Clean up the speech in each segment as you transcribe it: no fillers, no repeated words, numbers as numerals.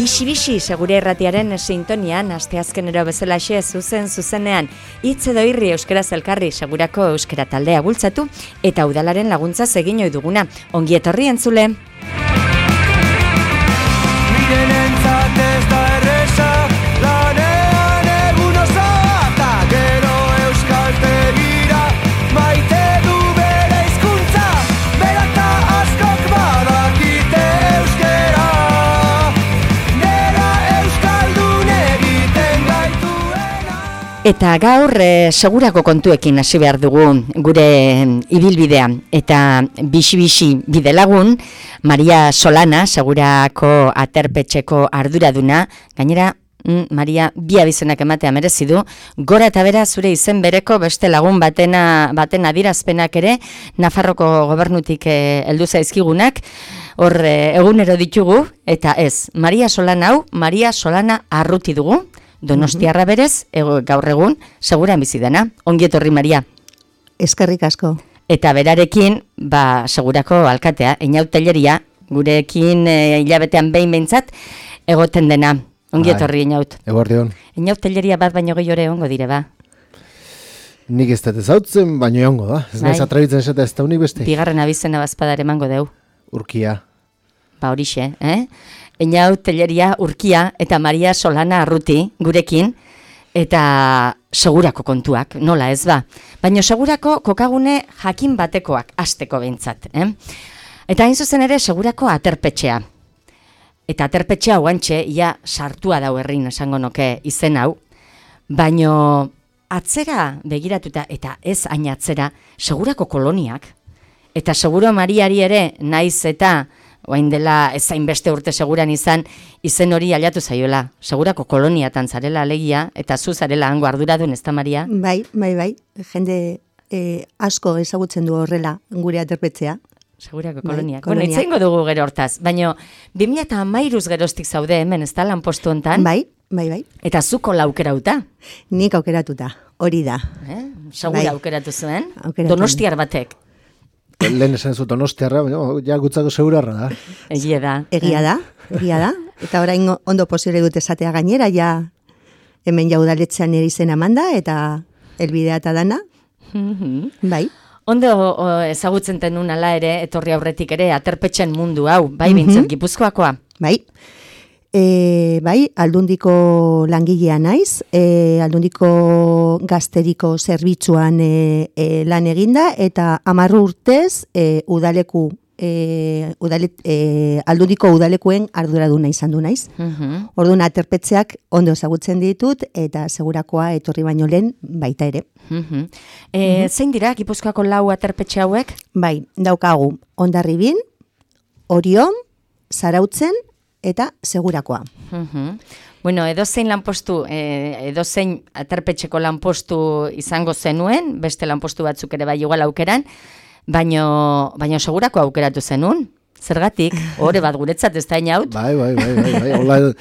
Bixi segure erratiaren sintonian, asteazkenero bezalaxe zuzenean, hitz edo irri euskaraz elkarri segurako euskara taldea bultzatu eta udalaren laguntza egin ohi duguna. Ongi etorri entzule. Mirenentzat ez da erresa, lanean egun osoa, eta gero euskaltegira maite du bere hizkuntza, bera eta askok badakite euskera, nera euskaldun egiten gaituena. Eta gaur segurako kontuekin hasi behar dugu gure ibilbidea, eta bixi bidelagun Maria Solana, segurako aterpetxeko arduraduna, gainera Maria bi abizenak ematea merezi du, gora eta bera zure izen bereko beste lagun baten adierazpenak ere Nafarroko gobernutik heldu zaizkigunak, hor egunero ditugu, eta ez, Maria Solana hau, Maria Solana Arruti dugu, Donostiarra berez, gaur egun, seguran bizi dena. Ongi etorri, Maria. Eskerrik asko. Eta berarekin, segurako alkatea, Einaut Telleria, gurekin hilabetean behin behintzat, egoten dena. Ongi etorri, Einaut. Eguerdion. Einaut Telleria bat baino gehiore ongo dire, ba? Nik ez dut ezautzen, baino egongo da. Ez naiz atrabitzen esata ez da unik beste. Bigarren abizena bazpadare emango deu. Urkia. Ba horixe, Einaut Telleria, Urkia eta Maria Solana Arruti gurekin, eta segurako kontuak, nola ez ba. Baina segurako kokagune jakin batekoak, hasteko behintzat. Eta hain zuzen ere segurako aterpetxea. Eta aterpetxea guantxe, ia sartua dau herrin esango noke izen hau, baino atzera begiratuta, eta ez hain atzera, segurako koloniak, eta seguro Mariari ere naiz eta oain dela ezain beste urte seguran izan, izen hori aliatu zaiola. Segurako koloniatan zarela alegia, eta zu zarela hango arduradun, ez da, Maria? Bai. Jende asko ezagutzen du horrela gure aterpetzea. Segurako koloniak. Bueno, itzaingo dugu gero hortaz, baina 2013 geroztik zaude hemen, ez da, lanpostu hontan? Bai. Eta zuko laukerauta? Nik aukeratuta, hori da. Segura aukeratu zuen? Donostiar batek. Lehen esan zu Donostiarra, ja gutzako segurarra da. Egia da. Egia da. Eta orain ondo posible dut esatea gainera, ja hemen jaudaletzean ere izena manda, eta elbidea eta dana. Bai. Ondo ezagutzen tenun ala ere, etorri aurretik ere, aterpetxen mundu hau, bai bintzen, Gipuzkoakoa? Bai. Bai, Aldundiko langilea naiz, Aldundiko gazteriko zerbitzuan lan eginda, eta 10 urtez Aldundiko udalekuen arduraduna izan du naiz. Orduan aterpetzeak ondo ezagutzen ditut, eta segurakoa etorri baino lehen baita ere. Zein dira Gipuzkoako 4 aterpetxe hauek? Bai, daukagu Hondarribin, Orion, Zarautzen, eta segurakoa. Bueno, edozein lanpostu, edozein aterpetxeko lanpostu izango zenuen, beste lanpostu batzuk ere bai igual aukeran, baino segurako aukeratu zenun. Zergatik, hori bat guretzat ez da inaut? Bai. Hola,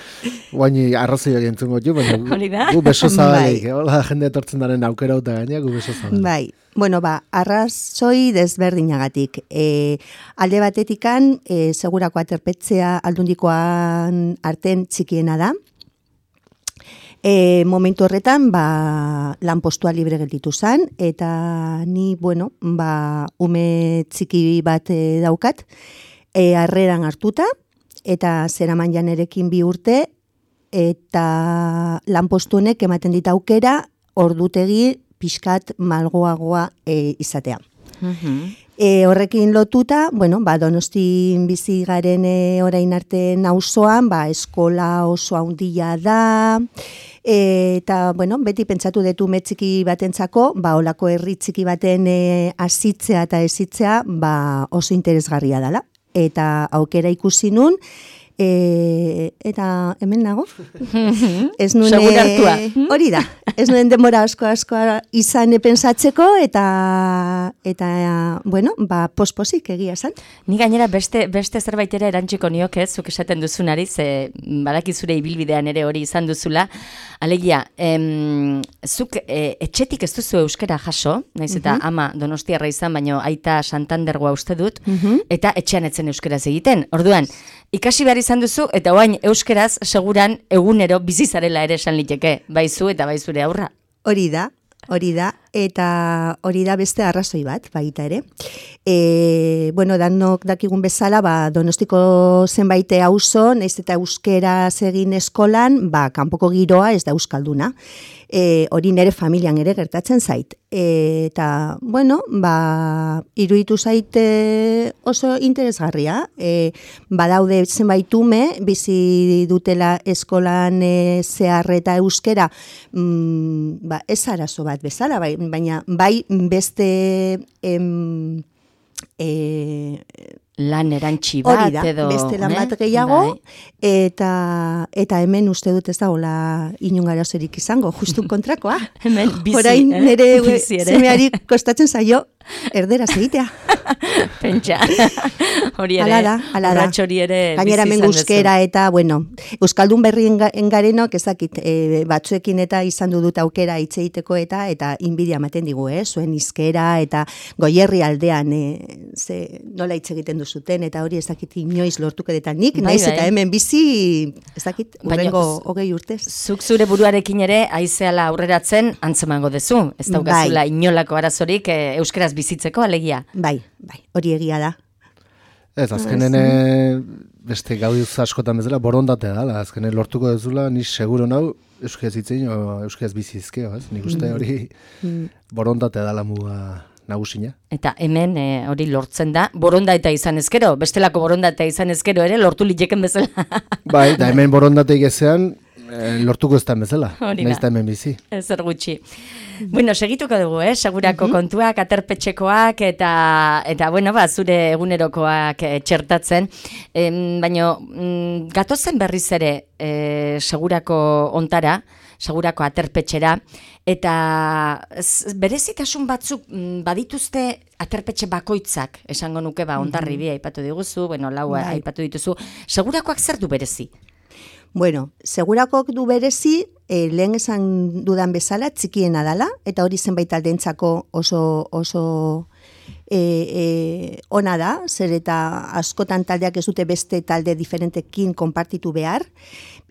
guaini arrazoiak entzungo jo, baina gu beso zabalik. Hola, jende etortzen daren aukerauta gaina, gu beso zabalik. Bai. Bueno, arrazoi desberdinagatik. Alde batetikan, segurako aterpetzea Aldundikoan arten txikiena da. Momentu horretan, lanpostua libre gelditu zen, eta ni, ume txiki bat daukat, harreran hartuta, eta zeraman janerekin 2 urte, eta lanpostu honek ematen dit aukera, ordutegi pixkat malgoagoa izatea. Horrekin lotuta, Donostin bizi garen orain arte auzoan, eskola oso handia da, eta, beti pentsatu detu txiki batentzako, olako herri txiki baten hasitzea eta ezitzea, oso interesgarria dela. Eta aukera ikusi nun, eta hemen nago. Segur hartua. Hori da. Ez nuen denbora asko izan pentsatzeko, eta posposik egia esan. Ni gainera beste zerbait ere erantziko nioke, zuk esaten duzunari, ze badaki zure ibilbidean ere hori izan duzula. Alegia, zuk etxetik ez duzu euskera jaso, naiz eta ama Donostiarra izan, baino aita Santandergoa uste dut, eta etxean etzen euskaraz egiten. Orduan, ikasi behar izan duzu, eta oain euskeraz seguran egunero bizizarela ere esan liteke, baizu eta baizure aurra. Hori da, eta hori da beste arrazoi bat, baita ere. Bueno, danok dakigun bezala, Donostiko zenbait auzo, naiz eta euskeraz egin eskolan, kanpoko giroa ez da euskalduna. Hori nire familian ere gertatzen zait. Eta, bueno, iruditu zait oso interesgarria. Badaude zenbait ume, bizi dutela eskolan zehar eta euskera, ez arazo bat bezala, baina bai beste lan erantzi bat edo beste lan bat gehiago, eta hemen uste dut ez dagoela inun arazorik izango, justu kontrakoa. Hemen bizi, orain nire semeari kostatzen zaio erderaz egitea. Pentsa. Hori ere, urrats hori ere bizi izan dezu. Gainera hemen euskera eta, bueno, euskaldun berri engarenok ezakit, batzuekin eta izan dut aukera hitz egiteko eta inbidia ematen digu, zuen hizkera eta Goierri aldean nola hitz egiten duzuten, eta hori ezakit inoiz lortuko eta nik, naiz eta hemen bizi, ezakit, urrengo 20 urtez. Zuk zure buruarekin ere aizeala aurreratzen antzemango dezu, ez daukazula inolako arazorik euskeraz bizitzeko alegia. Bai, hori egia da. Ez, azkenen beste gauduz askotan bezala borondatea da, azkenen lortuko dezula, ni seguro nau euskaz hitzein o euskaz bizizkeo, ez? Nik uste hori borondatea da muga nagusina. Eta hemen hori lortzen da, borondatea izan ezkero, bestelako borondatea izan ezkero ere lortu liteken bezala. Bai, da hemen borondateik ezean lortuko ez da bezala, nahiz da hemen bizi. Zer gutxi. Bueno, segituko dugu, segurako kontuak, aterpetxekoak eta bueno, zure egunerokoak txertatzen. Baina gatozen berriz ere segurako ontara, segurako aterpetxera, eta berezitasun batzuk badituzte aterpetxe bakoitzak, esango nuke ondarri bi aipatu diguzu, bueno, lau aipatu dituzu, segurakoak zer du berezi? Bueno, segurakoak du berezi, lehen esan dudan bezala, txikiena dala, eta hori zenbait aldeentzako oso ona da, zer eta askotan taldeak ez dute beste talde diferentekin konpartitu behar,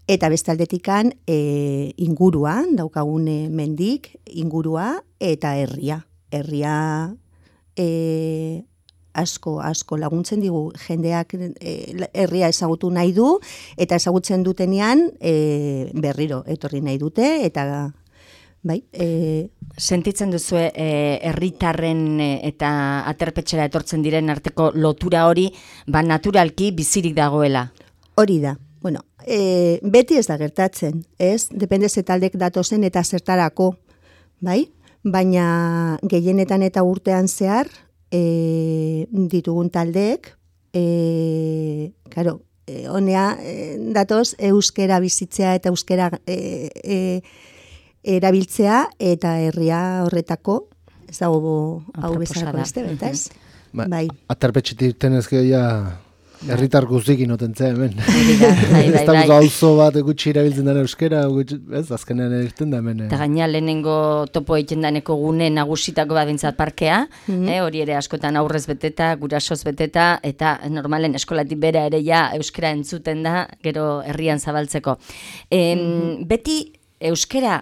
eta beste aldetikan inguruan, daukagune mendik, ingurua eta herria. Herria asko laguntzen digu jendeak herria ezagutu nahi du, eta ezagutzen dutenean berriro etorri nahi dute, eta bai. Sentitzen duzu herritarren eta aterpetxera etortzen diren arteko lotura hori, naturalki bizirik dagoela? Hori da. Bueno, beti ez da gertatzen, ez? Depende ze taldek datozen eta zertarako, bai? Baina gehienetan eta urtean zehar, ditugun taldeek, honea datoz euskera bizitzea eta euskera erabiltzea, eta herria horretako, ez dago hau bezalako beste, beta ez? Bai. Aterpetxetik tenezkeo ja herritar guztikin otentzea hemen. Ez da gauzo bat gutxi erabiltzen dara euskera, ez, azkenean erten da hemen. Eta gaina lehenengo topo egiten daneko gune nagusitako badintzat parkea, hori ere askotan aurrez beteta, gurasoz beteta, eta normalen eskolatik bera ere ja euskera entzuten da, gero herrian zabaltzeko. Beti euskera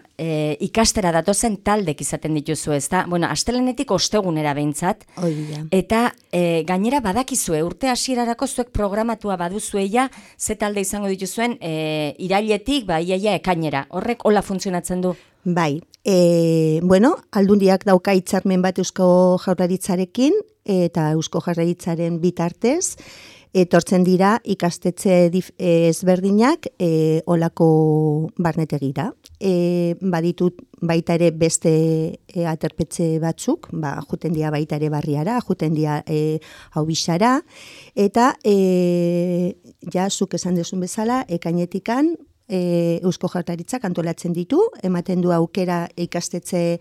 ikastera datozen taldek izaten dituzu, ez da? Bueno, astelenetik ostegunera behintzat, eta gainera badakizue, urte hasierarako zuek programatua baduzueia, ze talde izango dituzuen irailetik, iaia ekainera. Horrek hola funtzionatzen du? Bai, bueno, Aldundiak dauka hitzarmen bat Eusko Jaurlaritzarekin, eta Eusko Jaurlaritzaren bitartez, etortzen dira ikastetxe ezberdinak olako barnetegira. Baditut baita ere beste aterpetxe batzuk, juten dira baita ere barriara, juten dira haubixara, eta ja, zuk esan duzun bezala, ekainetikan Eusko Jaurlaritzak antolatzen ditu, ematen du aukera ikastetxe,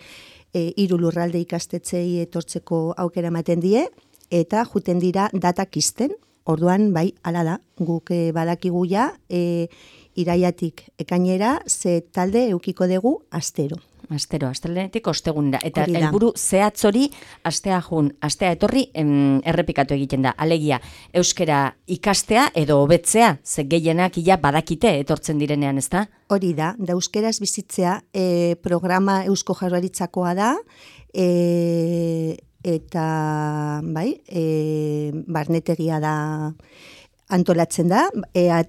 3 lurralde ikastetxei etortzeko aukera ematen die, eta juten dira datak izten. Orduan, bai, hala da, guk badakigu ja, iraiatik ekainera, ze talde eukiko dugu astero. Astero, astelenetik ostegunera. Eta Hori da. helburu zehatz hori astea jun, astea etorri errepikatu egiten da. Alegia, euskera ikastea edo hobetzea, ze gehienak ia badakite etortzen direnean, ezta? Hori da euskeraz bizitzea programa Eusko Jaurlaritzakoa da, eta bai, barnetegia da antolatzen da,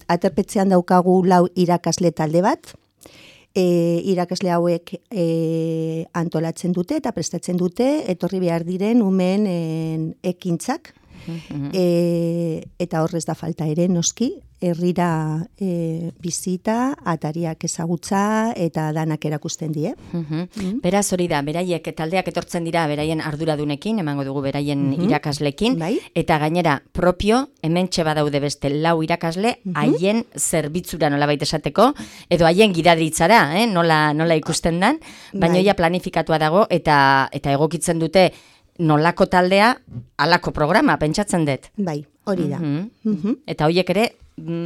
aterpetzean daukagu 4 irakasle talde bat, irakasle hauek antolatzen dute eta prestatzen dute etorri behar diren umeen ekintzak, eta horrez da falta ere noski, herrira bizita, atariak ezagutza eta danak erakusten die. Beraz hori da, beraiek taldeak etortzen dira beraien arduradunekin, emango dugu beraien irakaslekin, Bai. eta gainera propio, hementxe badaude beste 4 irakasle, haien zerbitzura nolabait esateko, edo haien gidadritzara, nola ikusten dan, baina Bai. ja planifikatua dago, eta egokitzen dute nolako taldea, halako programa, pentsatzen dut. Bai, hori da. Eta horiek ere,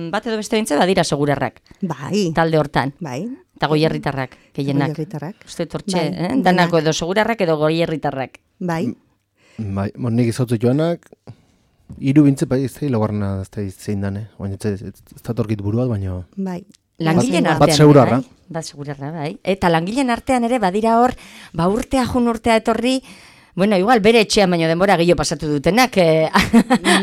bat edo beste bintze badira segurarrak, Bai, talde hortan. bai. Eta goierritarrak, gehienak. Goierritarrak. Uste tortxe, Bai, danako edo segurarrak edo goierritarrak. Bai, Bai, nik izautu joanak, 3 bintze, bai, ez da hilagarrena, ez da zein dane. Baina ez da torkit buruat, baina... bai. Langileen Bat artean. segurarra. Bai? Bat segurarra, bai. Eta langileen artean ere badira hor, urtea jun urtea etorri, bueno, igual bere etxean baino denbora gehiago pasatu dutenak,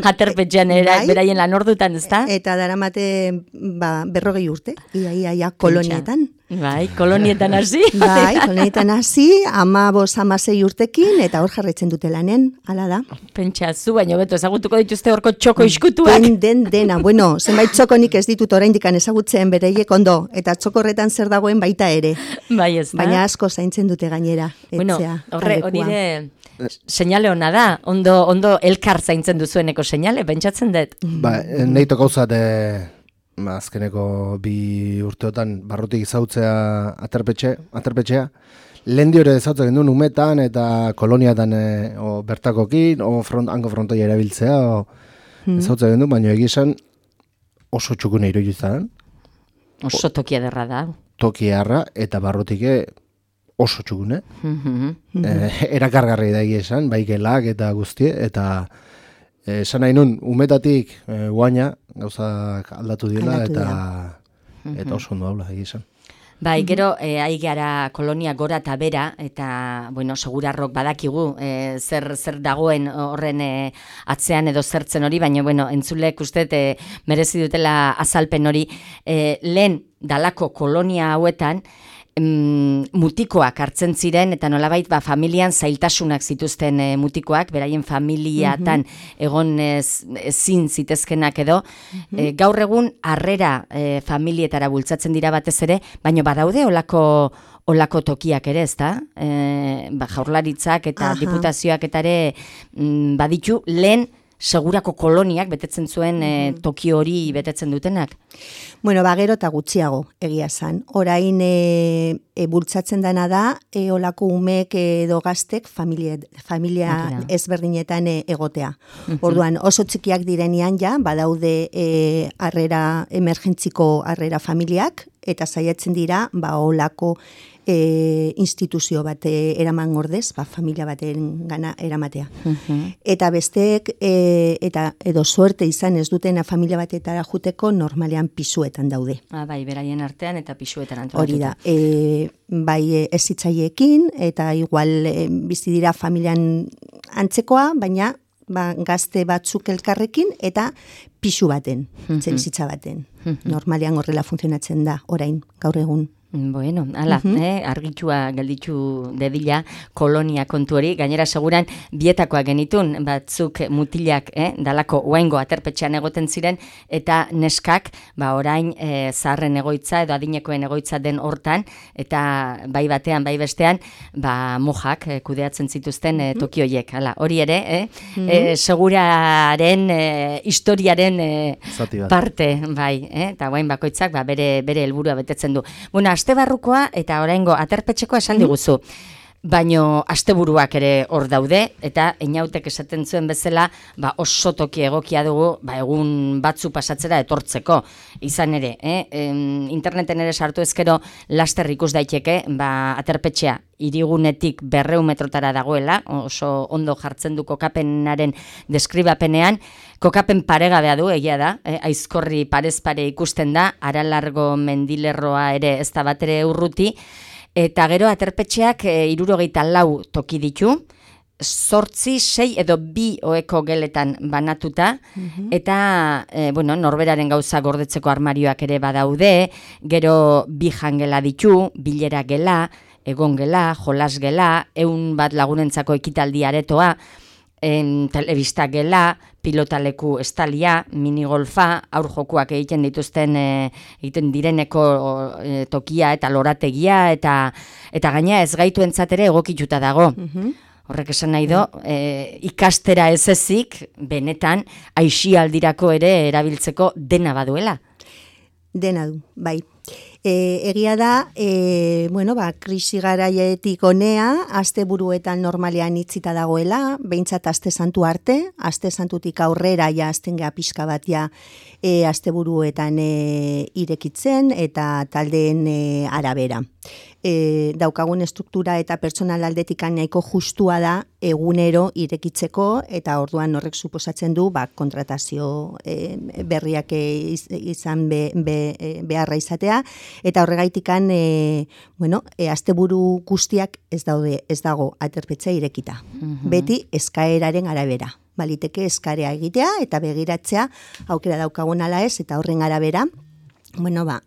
aterpetxean Bai. beraien lan ordutan, ezta? Eta daramate 40 urte, ia kolonietan. Bai, kolonietan hasi. Bai, kolonietan hasi, 15-16 urtekin, eta hor jarraitzen dute lanen, hala da. Pentsa zu, baino beto ezagutuko dituzte horko txoko iskutuak. Dena, bueno, zenbait txokonik ez ditut oraindik ezagutzen bereiek ondo, eta txokorretan zer dagoen baita ere. Bai, ez da. Baina asko zaintzen dute gainera, Bueno, etxea. hori taldekoa. de seinale ona da, ondo elkar zaintzen duzueneko seinale, pentsatzen dut. Ba, nahi tokauzat, azkeneko 2 urteotan barrutik izautzea aterpetxea. Lehendio ere ezautzen genuen umetan eta koloniatan bertakokin, hango frontoia erabiltzea, ezautzen genuen, baina egizan oso txukune iruditzen, Oso tokia derra da. tokiarra eta barrutike oso txukune. Erakargarri da egizan, bai gelak eta guztie, eta esan nahi nun, umetatik guaina gauzak aldatu dira, eta oso ondo haula egizan. Bai, gero, aigara kolonia gora eta bera, eta, bueno, segurarrok badakigu zer dagoen horren atzean edo zertzen hori, baina, bueno, entzulek uste merezi dutela azalpen hori, lehen dalako kolonia hauetan, mutikoak hartzen ziren, eta nolabait familian zailtasunak zituzten mutikoak, beraien familiatan egon ezin zitezkenak edo, gaur egun harrera familietara bultzatzen dira batez ere, baina badaude olako tokiak ere, ezta? Jaurlaritzak eta diputazioak eta ere baditu lehen segurako koloniak betetzen zuen toki hori betetzen dutenak? Bueno, gero eta gutxiago egia zan. Orain bultzatzen dena da, olako umek edo gaztek familia ezberdinetan egotea. Orduan, oso txikiak direnean ja, badaude emergentziko harrera familiak, eta saiatzen dira, olako instituzio bat eraman ordez, familia baten gana eramatea. Eta besteek, edo suerte izan ez dutena familia batetara juteko, normalean pisuetan daude. Bai, beraien artean eta pisuetan antolatuta. Hori da, bai ezitzaiekin, eta igual bizi dira familian antzekoa, baina gazte batzuk elkarrekin, eta pisu baten, etxebizitza baten. Normalean horrela funtzionatzen da, orain, gaur egun. Bueno, ala, argitua gelditu dedila kolonia kontu hori, gainera seguran bietakoa genitun, batzuk mutilak, dalako oaingo aterpetxean egoten ziren, eta neskak, orain zaharren egoitza edo adinekoen egoitza den hortan, eta bai batean, bai bestean, mojak kudeatzen zituzten tokioiek, ala, hori ere, seguraren, historiaren parte, bai, eta oain bakoitzak bere helburua betetzen du. Bueno, aste barrukoa eta oraingo aterpetxekoa esan diguzu. baino asteburuak ere hor daude, eta Einautek esaten zuen bezala, oso toki egokia dugu, egun batzu pasatzera etortzeko, izan ere, interneten ere sartu ezkero laster ikus daiteke, aterpetxea, hirigunetik 200 metrotara dagoela, oso ondo jartzen du kokapenaren deskribapenean, kokapen paregabea du, egia da, aizkorri parez pare ikusten da, Aralargo mendilerroa ere ez da batere urruti, eta gero aterpetxeak 74 toki ditu, 8, 6 edo 2 oheko geletan banatuta, eta norberaren gauza gordetzeko armarioak ere badaude, gero 2 jangela ditu, bilera gela, egon gela, jolas gela, 100 lagunentzako ekitaldi aretoa, telebista gela, pilotaleku estalia, minigolfa, aur jokuak egiten direneko tokia eta lorategia, eta gaina ez gaituentzat ere egokituta dago. Horrek esan nahi do, ikastera ez ezik, benetan, aisialdirako ere erabiltzeko dena baduela. Dena du, bai. Egia da, krisi garaietik honea, asteburuetan normalean itzita dagoela, behintzat aste santu arte, aste santutik aurrera ja azten geha pixka bat ja asteburuetan irekitzen eta taldeen arabera. Daukagun estruktura eta personal aldetik nahiko justua da egunero irekitzeko, eta orduan horrek suposatzen du kontratazio berriak izan beharra izatea, eta horregaitikan asteburu guztiak ez dago aterpetxea irekita. Beti eskaeraren arabera. Baliteke eskarea egitea eta begiratzea aukera daukagun ala ez, eta horren arabera,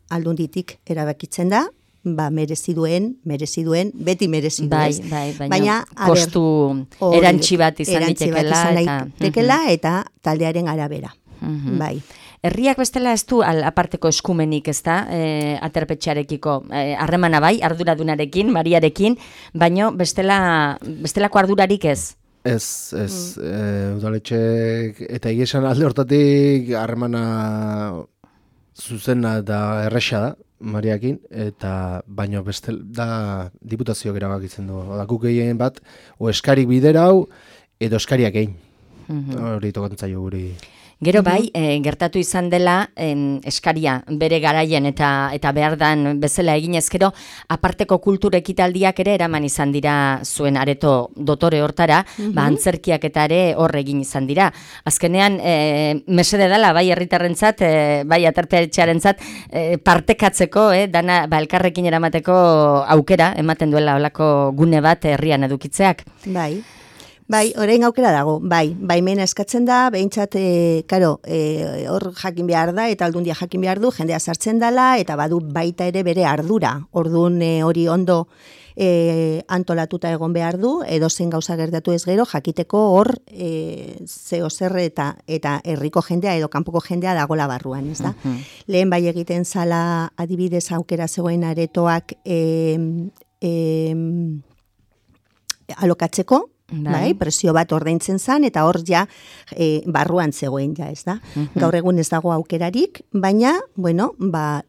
aldunditik erabakitzen da, merezi duen, beti merezi duen. Baina kostu erantsi bat izan ditekela eta taldearen arabera. Bai. Herriak bestela ez du aparteko eskumenik, ez da, aterpetxearekiko harremana bai, arduradunarekin, Mariarekin, baino bestelako ardurarik ez? Ez, udaletxek, eta egesan alde hortatik harremana zuzena da erresa da, Mariakin, eta baino da diputazioak erabakitzen du. Guk egin bat, o eskarik bidera hau, edo eskariak egin. Hori tokantzaio guri. Gero bai, gertatu izan dela eskaria bere garaien eta behar dan bezala eginez, gero aparteko kultur ekitaldiak ere eraman izan dira zuen areto dotore hortara, antzerkiak eta ere hor egin izan dira. Azkenean, mesede dela, bai herritarrentzat, bai aterpetxearentzat partekatzeko, dana elkarrekin eramateko aukera, ematen duela olako gune bat herrian edukitzeak. Bai, orain aukera dago, baimena eskatzen da, behintzat, hor jakin behar da, eta aldundia jakin behar du, jendea sartzen dela, eta badu baita ere bere ardura. Orduan hori ondo antolatuta egon behar du, edozein gauza gertatu ez gero, jakiteko hor zeo zer eta herriko jendea edo kanpoko jendea dagola barruan, ez da? Lehen bai egiten zala adibidez aukera zegoen aretoak alokatzeko, presio bat ordaintzen zan, eta hor ja barruan zegoen ja, ez da. Gaur egun ez dago aukerarik, baina,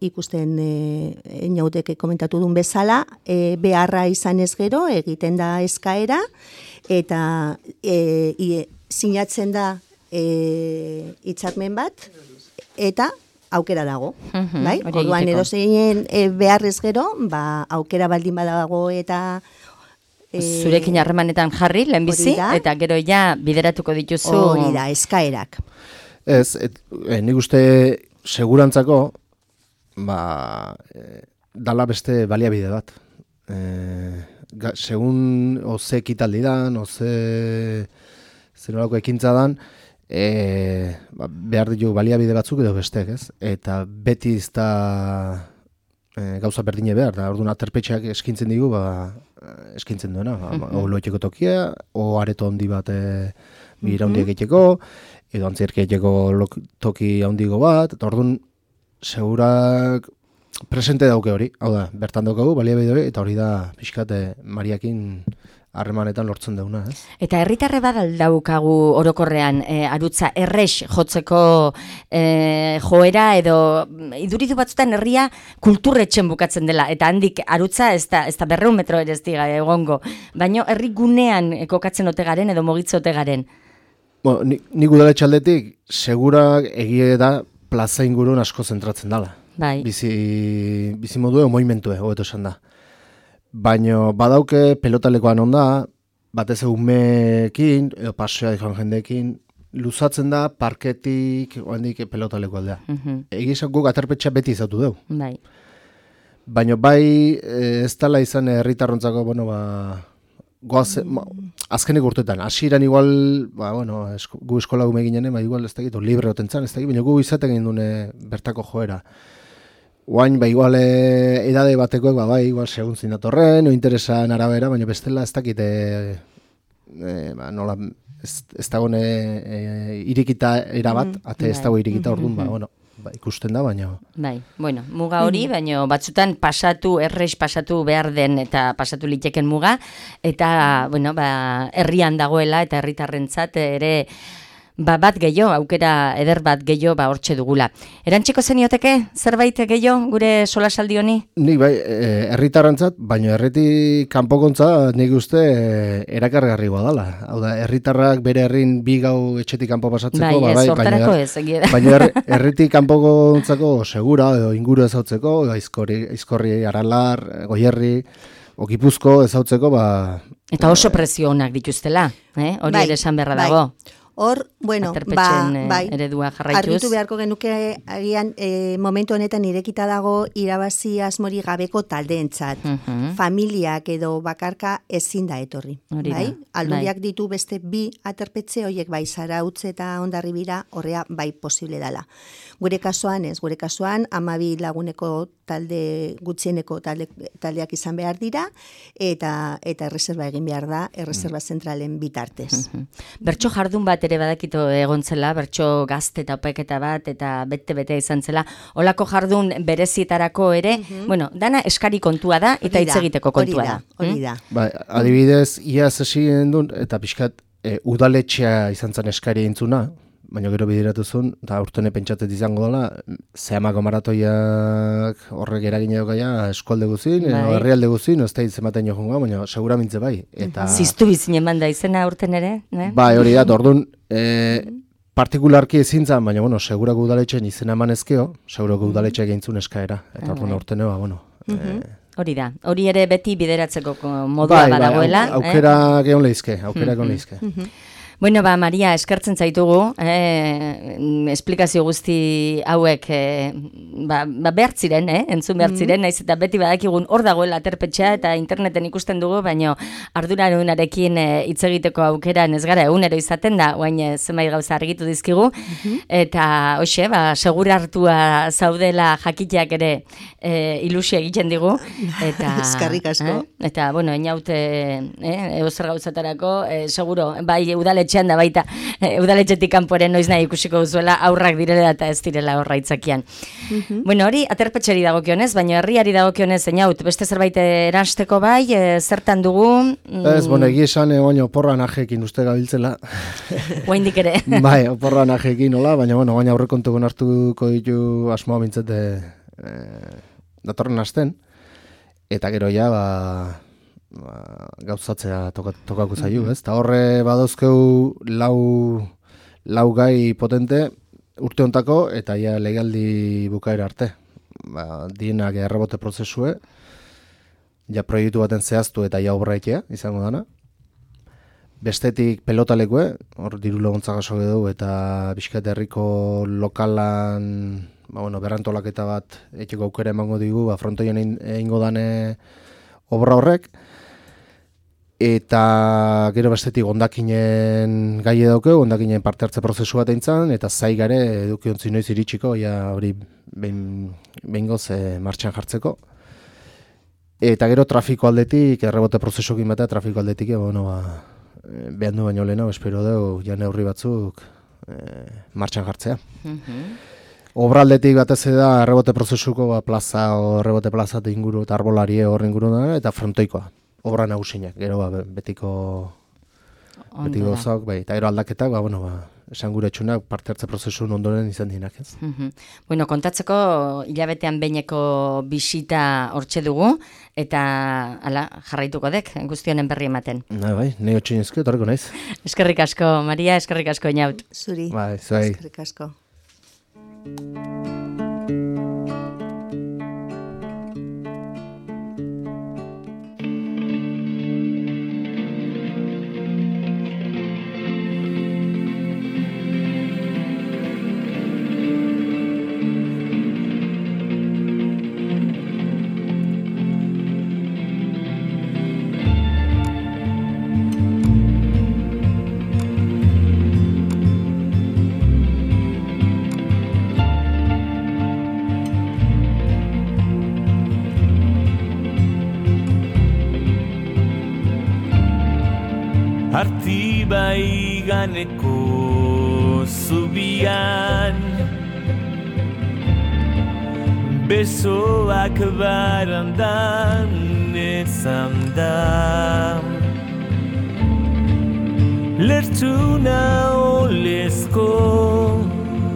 ikusten Inauteke komentatu duen bezala, beharra izan ez gero, egiten da eskaera, eta sinatzen da hitzarmen bat, eta aukera dago, bai? Orduan edozein beharrez gero, aukera baldin badago eta zurekin harremanetan jarri, lehenbizi, eta gero ja bideratuko dituzu. Hori da, eskaerak. Ez, nik uste segurantzako, dala beste baliabide bat. Segun, oze ekitaldi dan, oze zenolako ekintza dan, behar ditu baliabide batzuk edo bestek, ez? Eta beti ez da gauza berdine behar, da orduan aterpetxeak eskintzen digu, eskintzen duena, loetxeko tokia, o areto handi bat bira handiak egiteko, edo antzerki egiteko toki handigo bat, eta orduan segurak presente dauke hori, hau da, bertan daukagu, baliabide hori, eta hori da pixkat Mariakin harremanetan lortzen duguna, ez? Eta herritarre badaukagu orokorrean arutza errex jotzeko joera edo iduridu batzutan herria kulturretxen bukatzen dela eta handik arutza ez da 200 metro ere ez diga egongo, baina herri gunean kokatzen ote garen edo mogitze ote garen. Bueno, nik udaletxe aldetik segura egie da plaza ingurun asko zentratzen dela. Bai. Bizi modu moimentue, hobeto esan da. Baina badauke pelotalekoan onda, batez umeekin, edo paseoa joan jendeekin, luzatzen da parketik oandik pelotaleko aldea. Egizan guk aterpetxea beti izautu dugu. Bai. Baina bai ez dela izan herritarrontzako, azkenik urtetan, hasieran igual, gu eskola gume ginen, igual ez dakit, libre otentzan, ez dakit, baina gu izaten egin dune bertako joera. Oain, igual edade batekoek, igual segun zinatorren, o interesan arabera, baina bestela ez dakite, nola, ez dagoen irikita erabat, ate ez dago irikita orduan, ikusten da, baina... Bai, muga hori, baina batzutan errex pasatu behar den eta pasatu liteken muga, eta, herrian dagoela eta herritarrentzat ere... bat gehiago, aukera eder bat gehiago hortxe dugula. Erantziko zenioteke zerbait gehiago gure solasaldi honi? Nik bai, herritarrentzat, baina herritik kanpokontza nik uste erakargarri dela. Hau da, herritarrak bere herrin bi gau etxetik kanpo pasatzeko, baina herritik kanpokontzako segura, edo inguru ezautzeko, Aizkorri, Aralar, Goierri, Gipuzko ezautzeko, Eta oso prezio onak dituztela, hori ere esan beharra dago. Hor, eredua jarraituz. Argitu beharko genuke agian momentu honetan irekita dago irabazi asmori gabeko taldeentzat. Familiak edo bakarka ezin da etorri. Bai? Aldundiak ditu beste 2 aterpetxe, horiek bai Zarautz eta Hondarribira horrea bai posible dela. Gure kasuan 12 laguneko talde gutxieneko taldeak izan behar dira eta erreserba egin behar da, erreserba zentralen bitartez. Bertso jardun bat ere badakito egontzela, bertso gazte eta opeketa bat eta bete izan zela. Olako jardun berezietarako ere, dana eskari kontua da eta hitz egiteko kontua da. Hori da. Adibidez, iaz esien dut eta pixkat udaletxea izan zen eskari entzuna, baina gero bideratu zuen, eta urtene pentsatet izango dela, zehamako maratoiak horrek eragin edokaia eskualde guzin, herrialde guzin, ez da izematen jo jongoa, baina seguramintze bai. Ziztu bizinen banda izena urten ere? Bai, hori da, orduan, partikularki ezin zan, baina, segurako udaletxen izena emanezkeo, segurako udaletxeak egin zuen eskaera, eta orduan urtenea, Hori da, hori ere beti bideratzeko modua badagoela. Aukera geon lehizke, Bueno, Maria, eskertzen zaitugu, esplikazio guzti hauek behar ziren, entzun behar ziren, naiz eta beti badakigun hor dagoela aterpetxea eta interneten ikusten dugu, baina ardurarunarekin hitz egiteko aukera ez gara egunero izaten da, oain zenbait gauza argitu dizkigu, eta hoxe, segur hartua zaudela jakiteak ere ilusio egiten digu, eta... Eskerrik asko. Eta, inaute, eozer gauzatarako, seguro, bai udaletxe da baita, udaletxetik kanporen noiz nahi ikusiko duzuela aurrak direla eta ez direla horra itzakian. Hori aterpetxeri dagokionez, baina herriari dagokionez zeinaut, beste zerbait erasteko bai, zertan dugu? Ez, egia esan, oporra najekin uste gabiltzela. Oaindik ere. Bai, oporra najekin, hola, baina baina aurrekontuko hartuko ditu asmoa bintzete datorren asten, eta gero ja, gauzatzea tokako zaiu, ez? Eta horre badauzkeu lau gai potente urte hontako eta ja legaldi bukaera arte. Dienak errebote prozesue, ja proiektu baten zehaztu eta ja obraitea izango dana. Bestetik pelotalekue, hor diru laguntza jaso edo eta Bizkaia herriko lokalan berrantolaketa bat etxeko aukera emango digu, frontoian egingo dane obra horrek. Eta gero bestetik ondakinen gai edaukeu, ondakinen parte hartze prozesu bat eintzan, eta zai gare edukiontzi noiz iritsiko, hori behingoz martxan jartzeko. Eta gero trafiko aldetik, errebote prozesukin batea trafiko aldetik, behan du baino lehena, espero dugu, ja neurri batzuk martxan jartzea. Obra aldetik batez da errebote prozesuko plaza o errebote plaza inguru eta arbolarie horren inguru da, eta frontoikoa. obra nagusinak, gero betiko gauzak, bai, eta gero aldaketak, esan gure txunak parte hartze prozesun ondoren izan dienak, ez? Bueno, kontatzeko hilabetean behineko bisita hortxe dugu, eta jarraituko dek, guztionen berri ematen. Bai, nahi otxinezko, etorreko naiz. Eskerrik asko, Maria, eskerrik asko, Inaut. Zuri, bai, zuai. eskerrik asko. Artibai ganeko zubian besoak barandan ezan da lertxuna olezko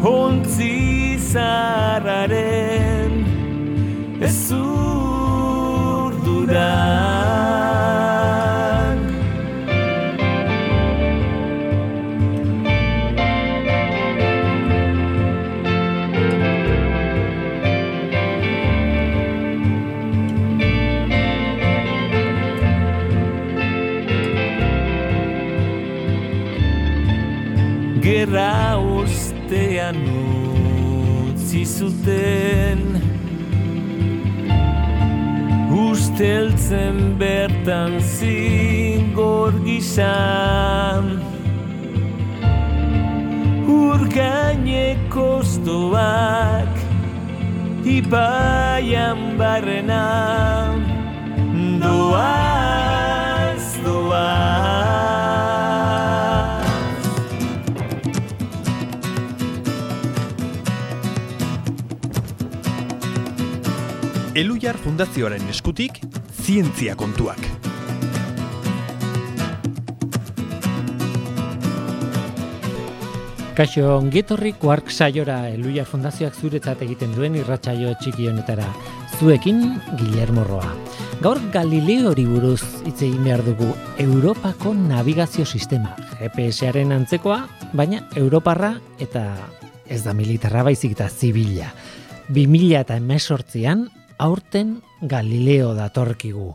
ontzi zarraren ez urduran Gerra ostean utzi zuten usteltzen bertan zingor gizan urgaineko oztoak ibaian barrena doaz, doaz. Elhuyar Fundazioaren eskutik, zientzia kontuak. Kaixo, ongetorri Quark saiora Elhuyar Fundazioak zuretzat egiten duen irratsaio txiki honetara. Zuekin Guillermo Roa. Gaur Galileori buruz hitz egin behar dugu. Europako nabigazio sistema, GPS-aren antzekoa, baina europarra eta ez da militarra baizik eta zibila. 2018an aurten Galileo datorkigu.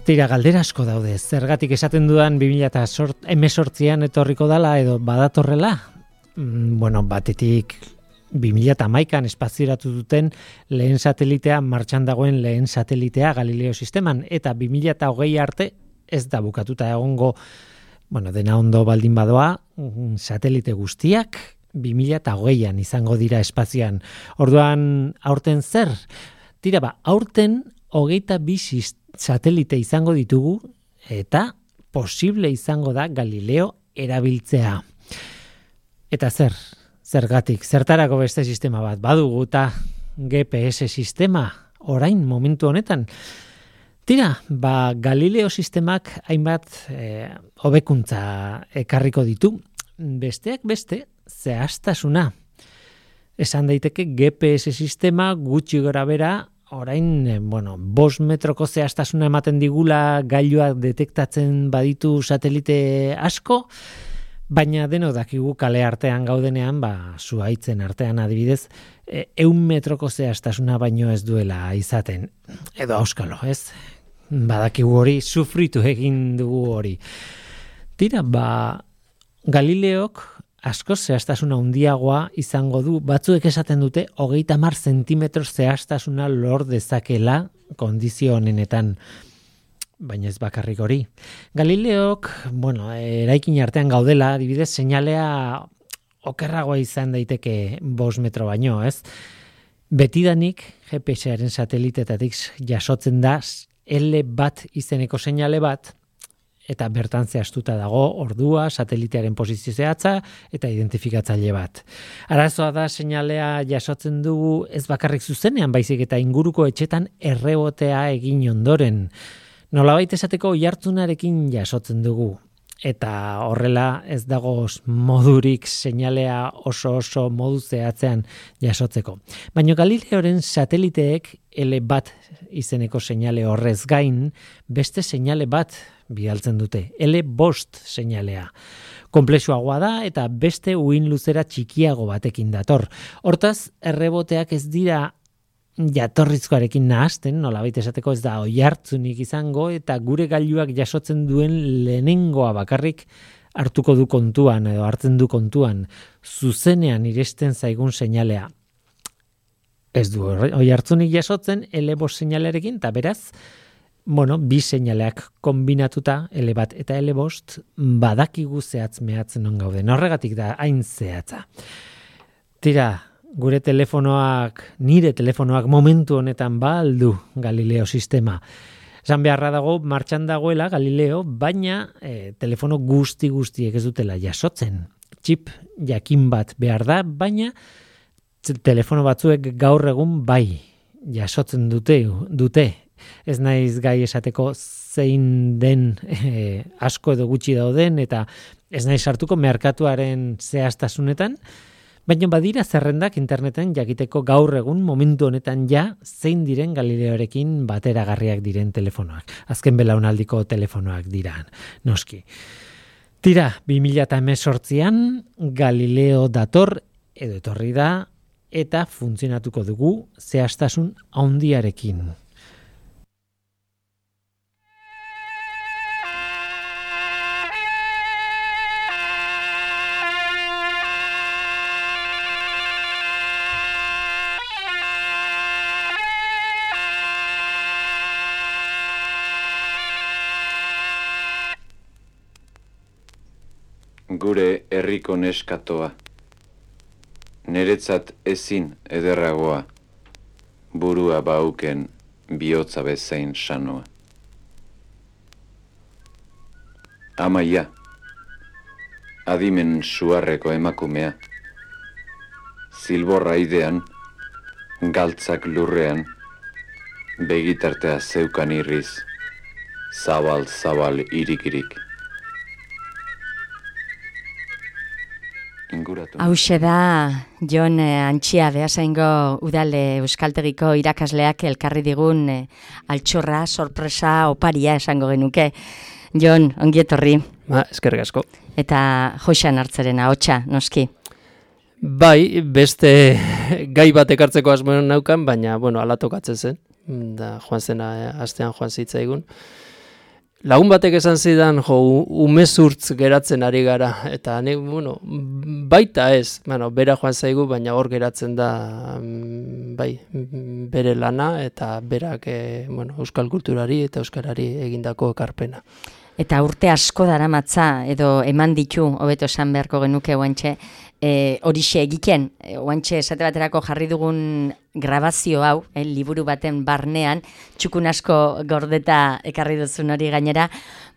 Tira, galdera asko daude. Zergatik esaten dudan 2018an etorriko dala edo badatorrela? Batetik 2011an espazioratu duten lehen satelitea, martxan dagoen lehen satelitea Galileo sisteman, eta 2020 arte ez da bukatuta egongo, dena ondo baldin badoa, satelite guztiak 2020an izango dira espazioan. Orduan, aurten zer? Tira, aurten 22 satelite izango ditugu eta posible izango da Galileo erabiltzea. Eta zergatik, zertarako beste sistema bat badugu eta GPS sistema orain momentu honetan. Tira, Galileo sistemak hainbat hobekuntza ekarriko ditu. Besteak beste, zehaztasuna. Esan daiteke GPS sistema gutxi gora bera, orain, 5 metroko zehaztasuna ematen digula gailuak detektatzen baditu satelite asko, baina denok dakigu kale artean gaudenean, zuhaitzen artean adibidez, 100 metroko zehaztasuna baino ez duela izaten. Edo auskalo, ez? Badakigu hori, sufritu egin dugu hori. Tira, Galileok asko zehaztasuna handiagoa izango du, batzuek esaten dute 30 zentimetro zehaztasuna lor dezakela kondizio honenetan, baina ez bakarrik hori. Galileok, eraikin artean gaudela, adibidez, seinalea okerragoa izan daiteke 5 metro baino, ez? Betidanik GPS-aren satelitetatik jasotzen da L1 izeneko seinale bat, eta bertan zehaztuta dago ordua, satelitearen posizio zehatza eta identifikatzaile bat. Arazoa da seinalea jasotzen dugu ez bakarrik zuzenean, baizik eta inguruko etxetan errebotea egin ondoren. Nolabait esateko oihartzunarekin jasotzen dugu. Eta horrela ez dago modurik seinalea oso modu zehatzean jasotzeko. Baina Galileoren sateliteek L1 izeneko seinale horrez gain, beste seinale bat bidaltzen dute, L5 seinalea. Konplexuagoa da eta beste uhin luzera txikiago batekin dator. Hortaz, erreboteak ez dira jatorrizkoarekin nahasten, nolabait esateko ez da oihartzunik izango eta gure gailuak jasotzen duen lehenengoa bakarrik hartuko du kontuan edo hartzen du kontuan zuzenean iresten zaigun seinalea. Ez du oihartzunik jasotzen L5 seinalearekin eta beraz, bi seinaleak kombinatuta L1 eta L5 badakigu zehatz mehatzen non gauden. Horregatik da hain zehatza. Tira, nire telefonoak momentu honetan aldu Galileo sistema. Esan beharra dago, martxan dagoela Galileo, baina telefono guztiek ez dutela jasotzen. Txip jakin bat behar da, baina telefono batzuek gaur egun bai jasotzen dute. Ez naiz gai esateko zein den asko edo gutxi dauden, eta ez naiz sartuko merkatuaren zehaztasunetan, baina badira zerrendak interneten jakiteko gaur egun momentu honetan zein diren Galileorekin bateragarriak diren telefonoak. Azken belaunaldiko telefonoak dira, noski. Tira, 2018an Galileo dator edo etorri da eta funtzionatuko dugu zehaztasun handiarekin. Gure herriko neskatoa, neretzat ezin ederragoa, burua bauken bihotza bezain sanoa. Amaia, adimen suarreko emakumea, zilborra idean, galtzak lurrean, begitartea zeukan irriz, zabal irik. Hauxe da, Jon Antxia Beasaingo udale euskaltegiko irakasleak elkarri digun altxorra, sorpresa, oparia esango genuke. Jon, ongi etorri. Eskerrik asko. Eta Joxan Hartzeren ahotsa, noski. Bai, beste gai bat ekartzeko asmoen naukan, baina, ala tokatzen zen. Da, joan zena, astean joan zitzaigun. Lagun batek esan zidan, umezurtz geratzen ari gara, eta baita ez, bera joan zaigu, baina hor geratzen da, bai, bere lana, eta berak, euskal kulturari eta euskarari egindako ekarpena. Eta urte asko daramatza, edo eman ditu, hobeto esan beharko genuke oantxe, horixe egiten, oantxe esate baterako jarri dugun grabazio hau, liburu baten barnean, txukun asko gordeta ekarri duzun hori gainera,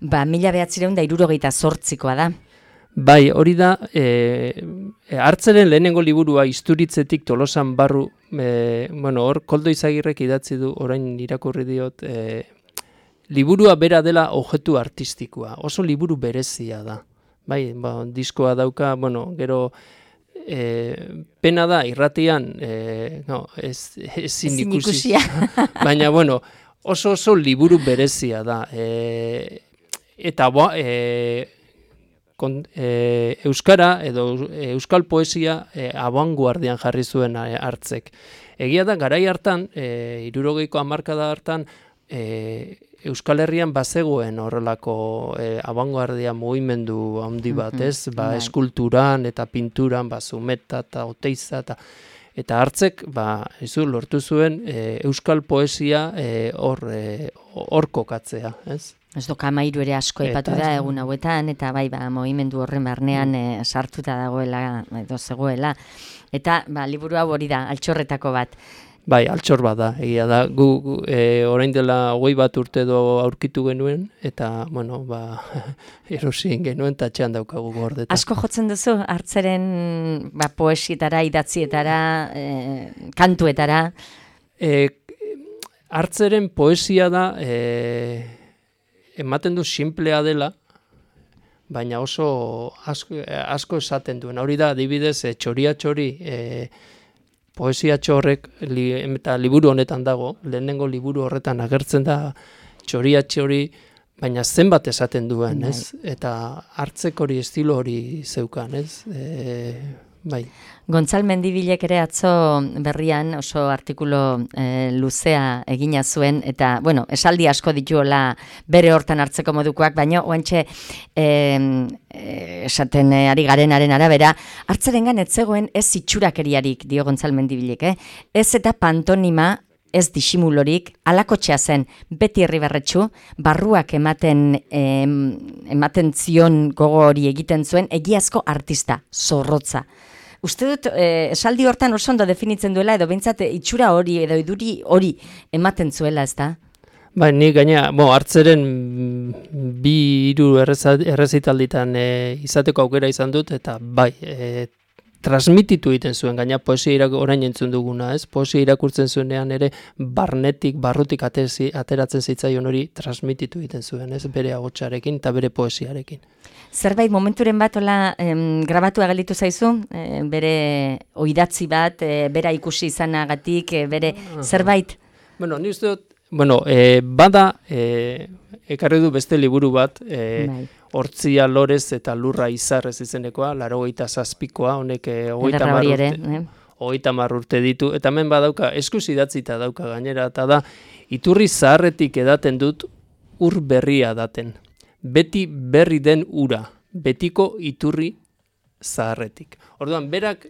1978koa da. Bai, hori da, Hartzeren lehenengo liburua Isturitzetik Tolosan barru, hor Koldo Izagirrek idatzi du, orain irakurri diot, liburua bera dela objektu artistikoa, oso liburu berezia da. Bai, diskoa dauka, gero pena da irratian ezin ikusi. Baina, oso liburu berezia da. Eta euskara edo euskal poesia abanguardian jarri zuen Hartzek. Egia da, garai hartan, 60ko hamarkada hartan, Euskal Herrian bazegoen horrelako abanguardia mugimendu handi bat, ez? Eskulturan eta pinturan, Zumeta eta Oteiza eta Hartzek, lortu zuen euskal poesia hor kokatzea, ez? Ez doka Amairu ere asko aipatu da egun hauetan, eta bai, mugimendu horren barnean sartuta dagoela, edo zegoela. Eta liburu hau hori da, altxorretako bat. Bai, altxor bat da, egia da. Gu orain dela 21 urte edo aurkitu genuen, eta, erosien genuen, eta txean daukagu gordeta. Asko jotzen duzu, Hartzeren poesietara, idatzietara, kantuetara? Hartzeren poesia da, ematen du simplea dela, baina oso asko esaten duen. Hori da, adibidez, txoria txori, poesia txorrek eta liburu honetan dago, lehenengo liburu horretan agertzen da txoria txori, baina zenbat esaten duen, ez? Eta hartzek hori, estilo hori zeukan, ez? Bai. Gontzal Mendibilek ere atzo berrian oso artikulo luzea egina zuen, eta, bueno, esaldi asko dituola bere hortan hartzeko modukoak, baina oantxe esaten ari garenaren arabera, hartzerengan ez zegoen ez itxurakeriarik, dio Gontzal Mendibilek, ez eta pantonima, ez disimulorik, alakotxea zen, beti Irribarretxu, barruak ematen zion gogo hori egiten zuen, egiazko artista, zorrotza. Uste dut, esaldi hortan oso ondo definitzen duela, edo behintzat itxura hori, edo iduri hori ematen zuela, ez da? Bai, ni gaina, hartzeren 2-3 errezitalditan izateko aukera izan dut, eta bai, transmititu egiten zuen, gaina poesia orain entzun duguna, ez? Poesia irakurtzen zuenean ere barrutik ateratzen zitzaion hori transmititu egiten zuen, ez? Bere ahotsarekin eta bere poesiarekin. Zerbait momenturen bat grabatua gelditu zaizu, bere oidatzi bat, bera ikusi izanagatik, bere zerbait? Bueno, ni uste dut, bada, ekarri du beste liburu bat, Hortzia Lorez eta Lurra Izarrez izenekoa, 87koa, honek 30 urte ditu, eta hemen badauka, eskuz idatzita dauka gainera, eta da, iturri zaharretik edaten dut, ur berria daten. Beti berri den ura, betiko iturri zaharretik. Orduan, berak,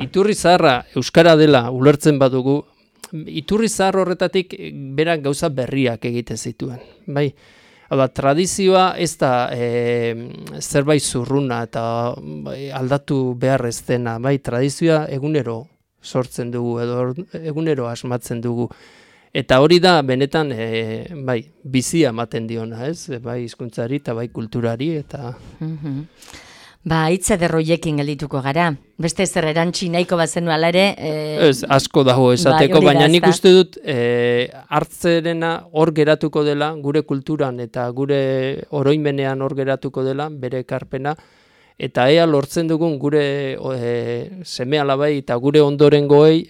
iturri zaharra euskara dela ulertzen badugu, iturri zahar horretatik berak gauza berriak egiten zituen. Bai, tradizioa ez da zerbait zurruna eta aldatu behar ez dena. Bai, tradizioa egunero sortzen dugu edo egunero asmatzen dugu. Eta hori da benetan bizia ematen diona, ez? Bai hizkuntzari eta bai kulturari eta hitz ederroiekin geldituko gara. Beste zer erantzi nahiko bazenu ala ere. Ez, asko dago esateko, baina nik uste dut hartzerena hor geratuko dela, gure kulturan eta gure oroimenean hor geratuko dela, bere ekarpena, eta ea lortzen dugun gure seme alabai eta gure ondorengoei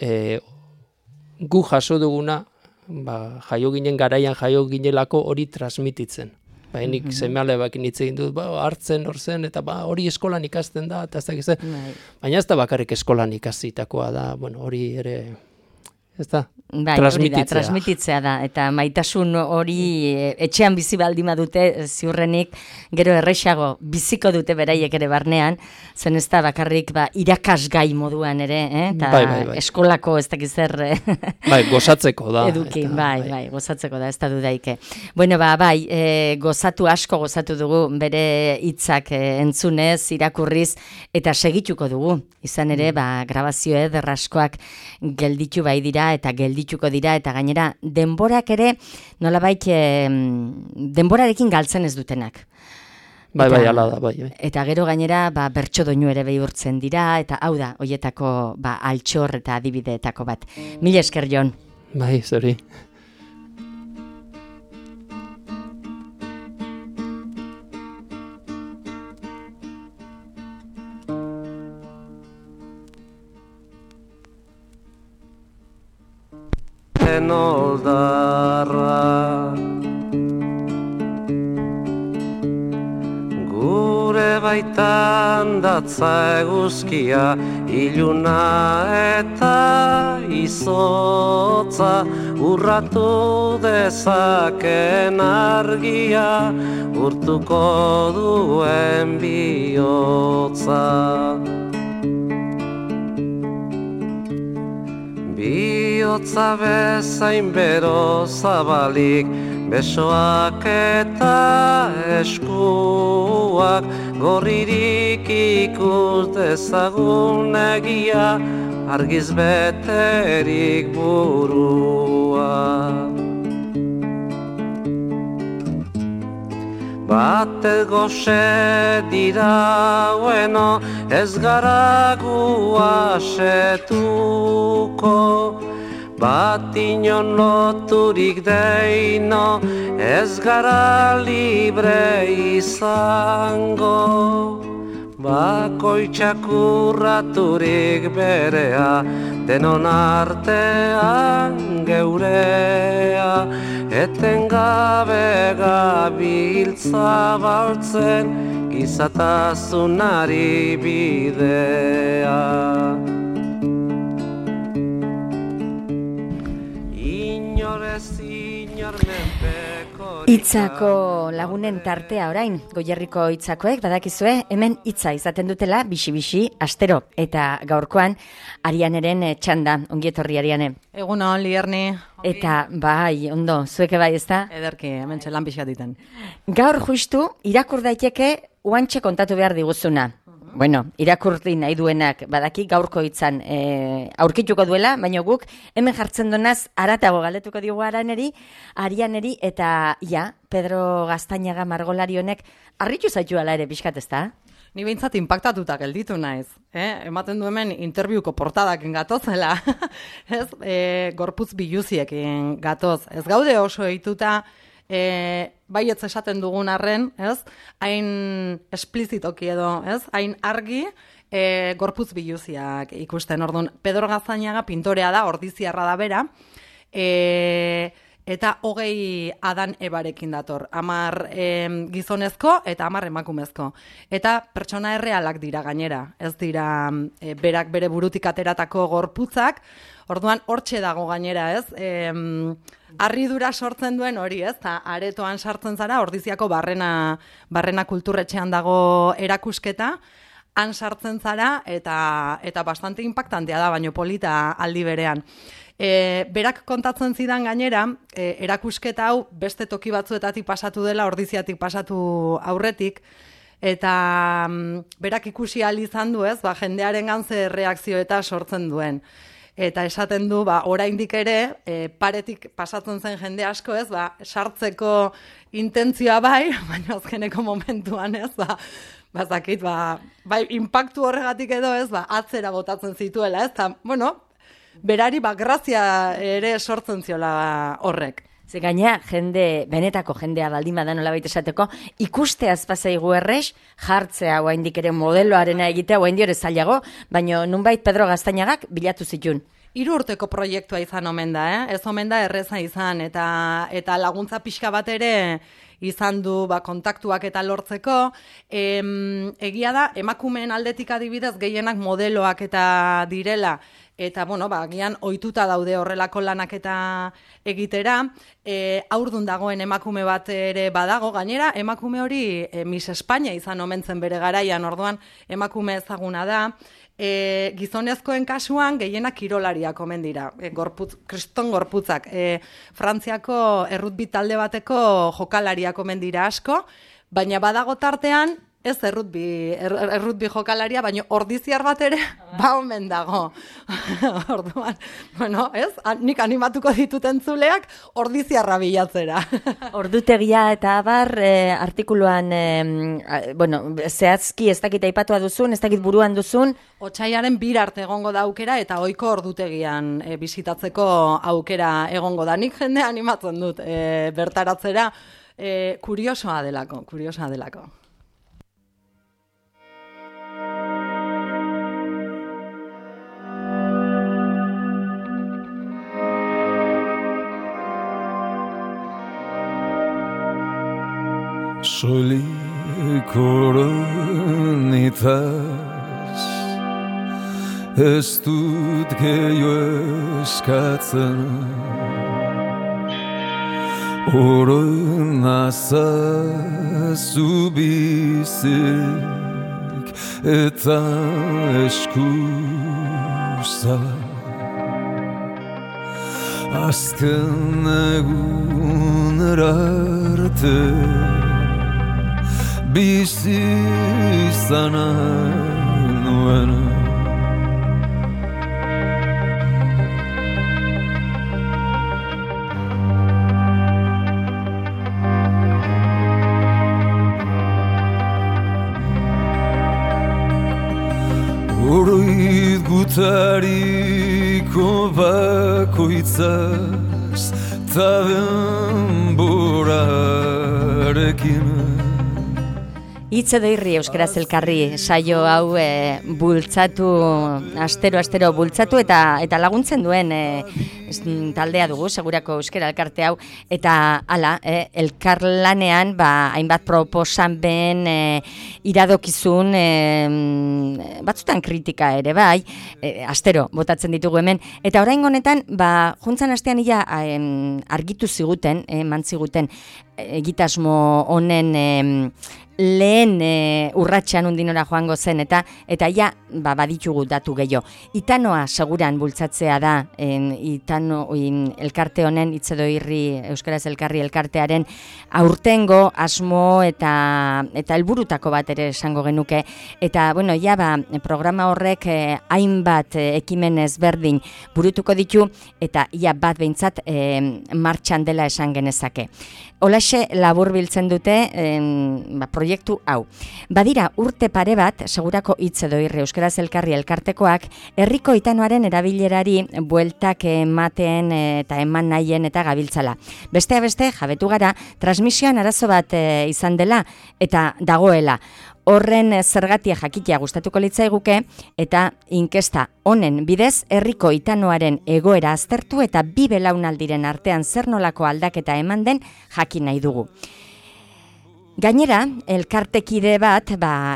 gu jaso duguna, jaio ginen garaian jaio ginelako hori transmititzen. Nik seme-alabekin hitz egin dut, hartzen hor zen, eta hori eskolan ikasten da, eta ez dakiz, baina ez da bakarrik eskolan ikasitakoa da, hori ere, ez da, transmititzea da, eta maitasun hori etxean bizi baldin badute ziurrenik, gero errexago biziko dute beraiek ere barnean, zen ez da bakarrik irakasgai moduan ere, eta eskolako ez dakiz zer gozatzeko da. Eduki, gozatzeko da, ez da dudaike. Bueno, asko gozatu dugu bere hitzak entzunez, irakurriz, eta segituko dugu. Izan ere, grabazio ederraskoak gelditu bai dira, eta geldituko dira, eta gainera denborak ere nolabait denborarekin galtzen ez dutenak. Hala da, Eta gero gainera bertso doinu ere bihurtzen dira, eta hau da, hoietako altxor eta adibideetako bat. Mila esker, Jon. Zori. Oldarra gure baitan datza eguzkia, iluna eta izotza, urratu dezaken argia, urtuko duen bihotza. Bihotza bezain bero zabalik, besoak eta eskuak, gorririk ikus dezagun egia, argiz beterik burua. Batez goxe dira bueno, ez gara gu asetuko, bat inon loturik deino, ez gara libre izango. Bakoitzak urraturik berea, denon artean geurea, etengabe gabiltza baltzen, gizatasunari bidea. Hitzako lagunen tartea orain, Goierriko hitzakoek badakizue, hemen hitza izaten dutela bixi-bixi astero. Eta gaurkoan, Arianeren txanda, ongi etorri Ariane. Egunon, Lierni. Eta bai, ondo, zueke bai ezta? Ederki, hemen txelan pixkat diten. Gaur justu, irakur daiteke uantxe kontatu behar diguzuna. Bueno, irakurti nahi duenak badaki gaurko hitzan aurkituko duela, baina guk hemen jartzen donaz aratago galdetuko diogu Arianeri eta Pedro Gaztañaga margolari honek harritu zaitu ala ere pixkat ezta? Ni behintzat inpaktatuta gelditu naiz. Ematen du hemen interbiuko portadakin gatozela. Ez, gorputz biluziekin gatoz. Ez gaude oso eituta baietz esaten dugun arren, ez? Hain esplizitoki edo, ez? Hain argi gorputz biluziak ikusten. Orduan, Pedro Gaztañaga pintorea da, ordiziarra da bera, eta 20 Adan Ebarekin dator. 10 gizonezko eta 10 emakumezko. Eta pertsona errealak dira gainera. Ez dira berak bere burutik ateratako gorputzak. Orduan, hortxe dago gainera, ez? Harridura sortzen duen hori, ez? Ta aretoan sartzen zara, Ordiziako barrena kulturretxean dago erakusketa, han sartzen zara eta bastante impactantea da, baino polita aldi berean. Berak kontatzen zidan gainera, erakusketa hau beste toki batzuetatik pasatu dela, Ordiziatik pasatu aurretik, eta berak ikusi ahal izan du, ez? Jendearen ze reakzio eta sortzen duen. Eta esaten du, oraindik ere, paretik pasatzen zen jende asko, ez, sartzeko intentzioa bai, baina azkeneko momentuan, ez, bazakit, bai, inpaktu horregatik edo, ez, atzera botatzen zituela, ez, eta, bueno, berari, grazia ere sortzen ziola horrek. Ze gaina, benetako jendea baldin badan nolabait esateko, ikusteaz pasaigu errex, jartzea oraindik ere modeloarena egitea, oraindik ere zailago, baina nunbait Pedro Gaztañagak bilatu zituen. 3 urteko proiektua izan omen da, ez omen da erreza izan, eta laguntza pixka bat ere izan du kontaktuak eta lortzeko. Egia da, emakumeen aldetik adibidez gehienak modeloak eta direla, eta, agian ohituta daude horrelako lanak eta egitera. Haurdun dagoen emakume bat ere badago, gainera, emakume hori Miss Espainia izan omen zen bere garaian, orduan emakume ezaguna da. Gizonezkoen kasuan gehienak kirolariak omen dira, kriston gorputzak. Frantziako errutbi talde bateko jokalariak omen dira asko, baina badago tartean, ez errutbi jokalaria, baina ordiziar bat ere, omen dago. Orduan, ez? Nik animatuko ditut entzuleak ordiziarra bilatzera. Ordutegia eta abar, artikuluan, zehazki ez dakit aipatua duzun, ez dakit buruan duzun. Otsaiaren 2 arte egongo da aukera eta ohiko ordutegian bisitatzeko aukera egongo da. Nik jende animatzen dut bertaratzera, kuriosoa delako. Soilik oronitaz ez dut gehiago eskatzen Oroen azazu bizik eta eskuza Azken egunera arte bizi izana nuen oroit gutariko bakoitzaz ta denborarekin. Hitz edo irri euskaraz elkarri saio hau bultzatu, astero bultzatu eta laguntzen duen taldea dugu, segurako euskara elkarte hau, eta hala, elkarlanean hainbat proposamen iradokizun, batzutan kritika ere bai, astero botatzen ditugu hemen, eta orain honetan, juntzan astean ia argitu ziguten, mantziguten, egitasmo honen lehen urratxean undinora joango zen, eta ja baditugu datu gehiago. Itanoa seguran bultzatzea da, elkarte honen, hitz edo irri euskaraz elkarri elkartearen aurtengo asmo eta helburutako bat ere esango genuke, eta bueno, programa horrek hainbat ekimen ezberdin burutuko ditu, eta bat behintzat martxan dela esan genezake. Holaxe labur biltzen dute proiektu hau. Badira urte pare bat, segurako hitz edo irri euskaraz elkarri elkartekoak, herriko itanoaren erabilerari bueltak ematen eta eman nahien eta gabiltzala. Besteak beste, jabetu gara, transmisioan arazo bat izan dela eta dagoela. Horren zergatia jakitea gustatuko litzaiguke eta inkesta honen bidez herriko itanoaren egoera aztertu eta 2 belaunaldiren artean zer nolako aldaketa eman den jakin nahi dugu. Gainera, elkartekide bat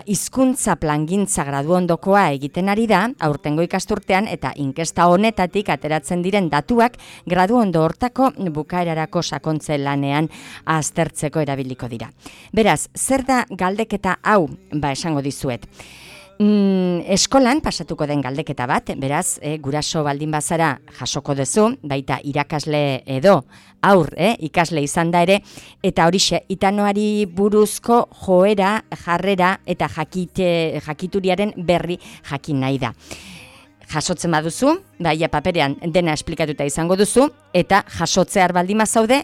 hizkuntza plangintza graduondokoa egiten ari da, aurtengo ikasturtean eta inkesta honetatik ateratzen diren datuak graduondo hortako bukaerarako sakontze lanean aztertzeko erabiliko dira. Beraz, zer da galdeketa hau? Esango dizuet. Eskolan pasatuko den galdeketa bat, beraz, guraso baldin bazara jasoko duzu, baita irakasle edo ikasle izan da ere, eta horixe, itanoari buruzko joera, jarrera eta jakituriaren berri jakin nahi da. Jasotzen baduzu, paperean dena esplikatuta izango duzu, eta jasotzear baldin bazaude,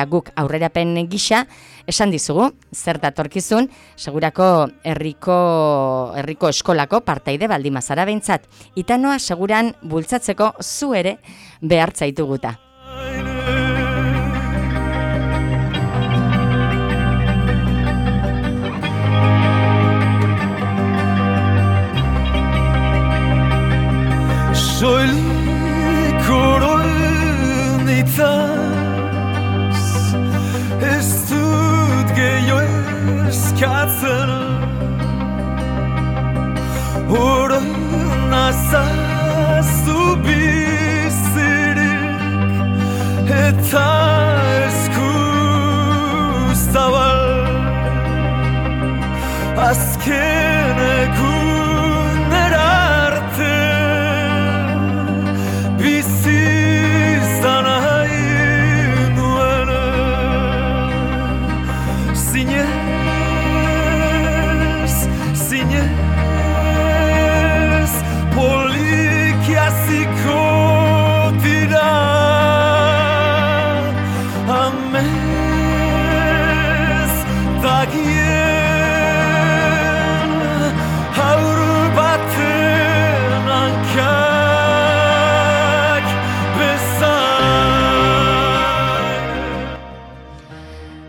guk aurrerapen gisa, esan dizugu, zer datorkizun, segurako herriko eskolako partaide baldin bazara behintzat. Itanoa seguran bultzatzeko zu ere behartzaituguta. Soilik oroinitaz ez dut gehiago eskatzen oroinazazu bizirik eta eskuzabal azken egunera arte bizizan nahi nuen zinez polikiaziko dira amez dagien haur baten hankak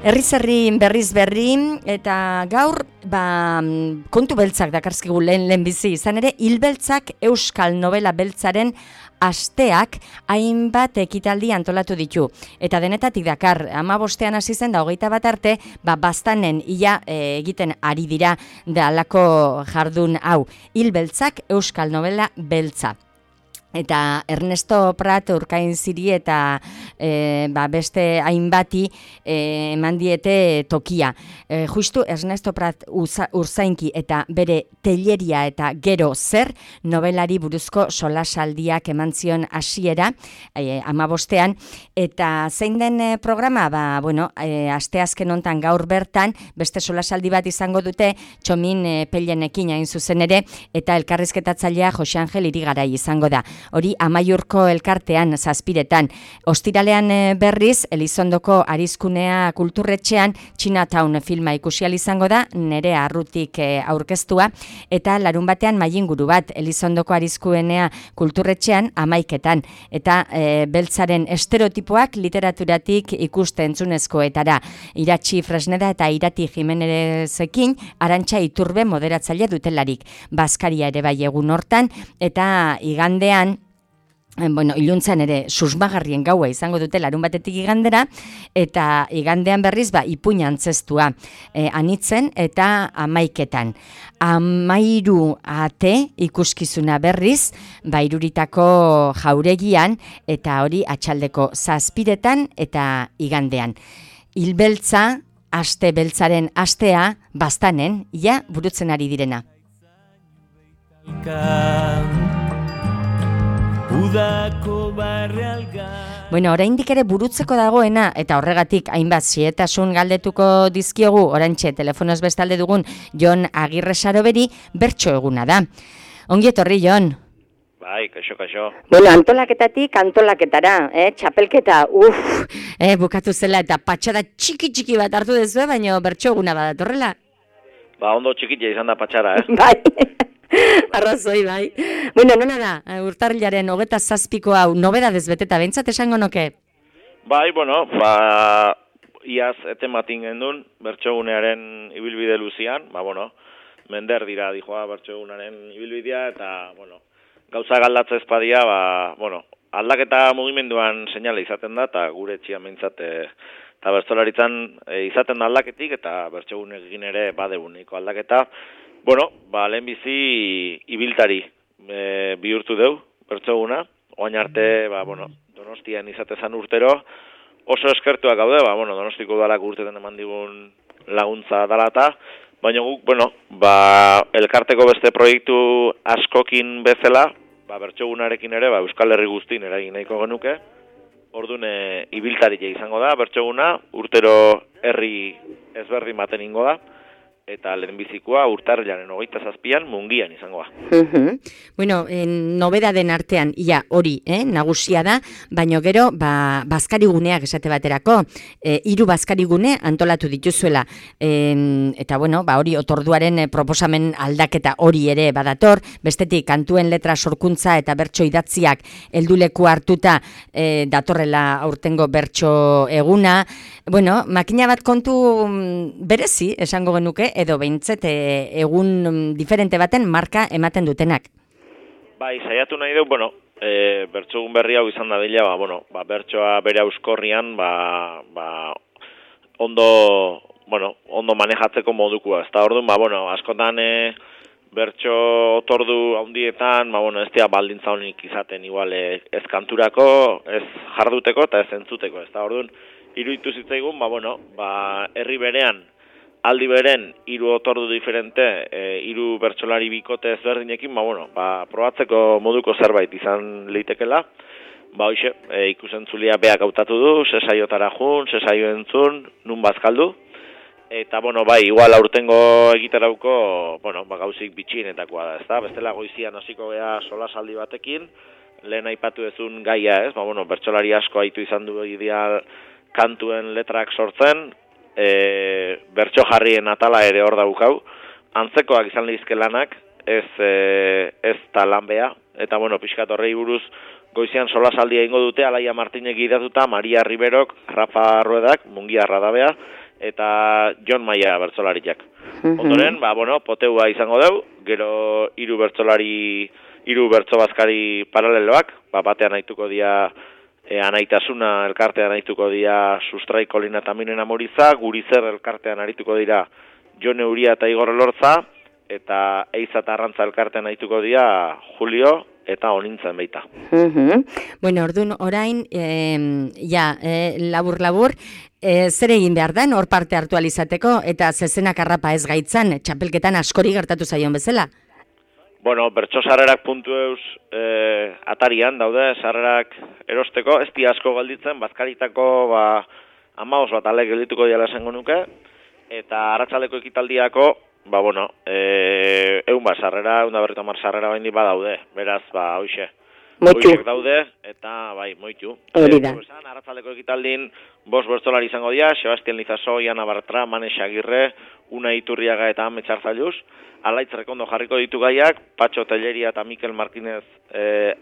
Herri berriz berri, eta gaur kontu beltzak dakarzkigu lehen bizi izan ere, hilbeltzak euskal novela beltzaren asteak hainbat ekitaldi antolatu ditu. Eta denetatik dakar, 15ean hasi zen da 21 arte, baztanen ia egiten ari dira da alako jardun hau. Hilbeltzak euskal novela beltza. Eta Ernesto Prat Urkain Ziri eta beste hainbati eman diete tokia. Justu Ernesto Prat Urzainki eta bere Telleria eta Gero Zer novelari buruzko solasaldiak eman zion hasiera 15ean, eta zein den programa, asteazken hontan gaur bertan beste solasaldi bat izango dute Txomin Pellenekin hain zuzen ere, eta elkarrizketatzailea Jose Angel Irigarai izango da. hori Amaiurko elkartean zazpiretan. Ostiralean berriz, Elizondoko Arizkunea kulturretxean Chinatown filma ikusial izango da, Nerea Arrutik aurkeztua, eta larun batean mailinguru bat Elizondoko Arizkunea kulturretxean 11etan, eta beltzaren estereotipoak literaturatik ikuste entzunezkoetara. Iratxi Fresneda eta Irati Jimenezekin Arantxa Iturbe moderatzaile dutelarik. Baskaria ere bai egun hortan, eta igandean, iluntzan ere susmagarrien gaua izango dute larun batetik igandera, eta igandean berriz ipuin antzestua anitzen eta 11etan. 13 ate ikuskizuna berriz, Iruritako jauregian, eta hori atxaldeko 7etan eta igandean. Hilbeltza, aste beltzaren astea, Baztanen, burutzen ari direna. Oraindik ere burutzeko dagoena, eta horregatik hainbat zietasun galdetuko dizkiogu, orantxe telefonoz bestalde dugun Jon Agirre Saroberi, bertso eguna da. Ongi etorri, Jon. Bai, kaixo. Antolaketatik antolaketara, txapelketa, bukatu zela eta patxada txiki bat hartu dezue, baina bertso eguna badatorrela. Ondo txikitia izan da patxara, Bai. Arrazoi, bai. Nona da, urtarrilaren 27ko hau, nobedadez beteta, behintzat esango noke? Bai, iaz etematin gendun, bertsogunearen ibilbide luzian, mender dira dijoa bertsogunaren ibilbidea, eta, gauza galdatza ezpadia, aldaketa mugimenduan seinale izaten da, eta gure etxian behintzat, eta bertsolaritzan izaten da aldaketik, eta bertsogunekin ere badeguniko aldaketa, lehenbizi ibiltari bihurtu deu, bertsoguna, oain arte, Donostian izatezan urtero, oso eskertuak gaude, Donostiko udalak urteten eman digun laguntza dalata, baina guk, elkarteko beste proiektu askokin bezala, bertsogunarekin ere, Euskal Herri guztin eragin nahiko genuke, orduan ibiltaria izango da, bertsoguna, urtero herri ezberdin baten ingo da, eta lehenbizikoa urtarrilaren 27an Mungian izangoa. Nobedaden artean, hori, nagusia da, baina gero, bazkariguneak esate baterako, 3 bazkarigune antolatu dituzuela, eta hori otorduaren proposamen aldaketa hori ere badator, bestetik kantuen letra sorkuntza eta bertso idatziak helduleku hartuta datorrela aurtengo bertso eguna, makina bat kontu berezi esango genuke, edo behintzet egun diferente baten marka ematen dutenak. Bai, saiatu nahi du, bertsogun berri hau izan dadila, bertsoa bere euskorrian, ondo manejatzeko modukoa. Ez da orduan, askotan bertso otordu handietan, ez dira baldintza honik izaten igual ez kanturako, ez jarduteko eta ez entzuteko. Ez da orduan, iruditu zitzaigun, herri berean, aldi beren 3 otordu diferente, 3 bertsolari bikote ezberdinekin, probatzeko moduko zerbait izan leitekela. Ikusentzulia beak hautatu du, sesaiotara jun, sesaio entzun, nun bazkaldu. Eta, igual aurtengo egiterauko, gauzik bitxienetakoa da, ezta? Bestela goizian hasiko gea solasaldi batekin, lehen aipatu dezun gaia, ez? Bertsolari asko haitu izan du ideal kantuen letrak sortzen, bertso jarrien atala ere hor daukau, antzekoak izan lehizke lanak, ez talanbea, eta pixkat horrei buruz goizian solasaldia ingo dute, Alaia Martinek idatuta, Maria Riberok, Rafa Ruedak, Mungiarra dabea, eta Jon Maia bertsolariak. Ondoren, poteua izango deu, gero 3 bertso bazkari paraleloak, batean haituko dia Anaitasuna elkartean arituko dira Sustrai Kolina eta Minen Amoriza, Gurizer elkartean arituko dira Jone Uria eta Igor Elortza, eta Eiza eta Arrantza elkartean arituko dira Julio eta Onintzen baita. Orduan orain, labur-labur, zer egin behar den hor parte hartu alizateko, eta zezenak arrapa ez gaitzan, txapelketan askori gertatu zaion bezala? Bertso sarrerak puntueuz atarian daude, sarrerak erosteko, ez di asko galditzen, bazkaritako 15 bat alek geldituko diala esango nuke, eta arratsaldeko ekitaldiako, 100 sarrera, 150 sarrera baindi badaude, beraz, hoxe, Moitu. Horiek daude, eta bai, moitu. Hori da. Arratzaldeko ekitaldin, 5 bertsolari izango dira, Sebastian Lizaso, Iana Bartra, Manes Agirre, Una Iturriaga eta Ame Txartzailuz. Alaitz Rekondo jarriko ditu gaiak, Patxo Telleria eta Mikel Martinez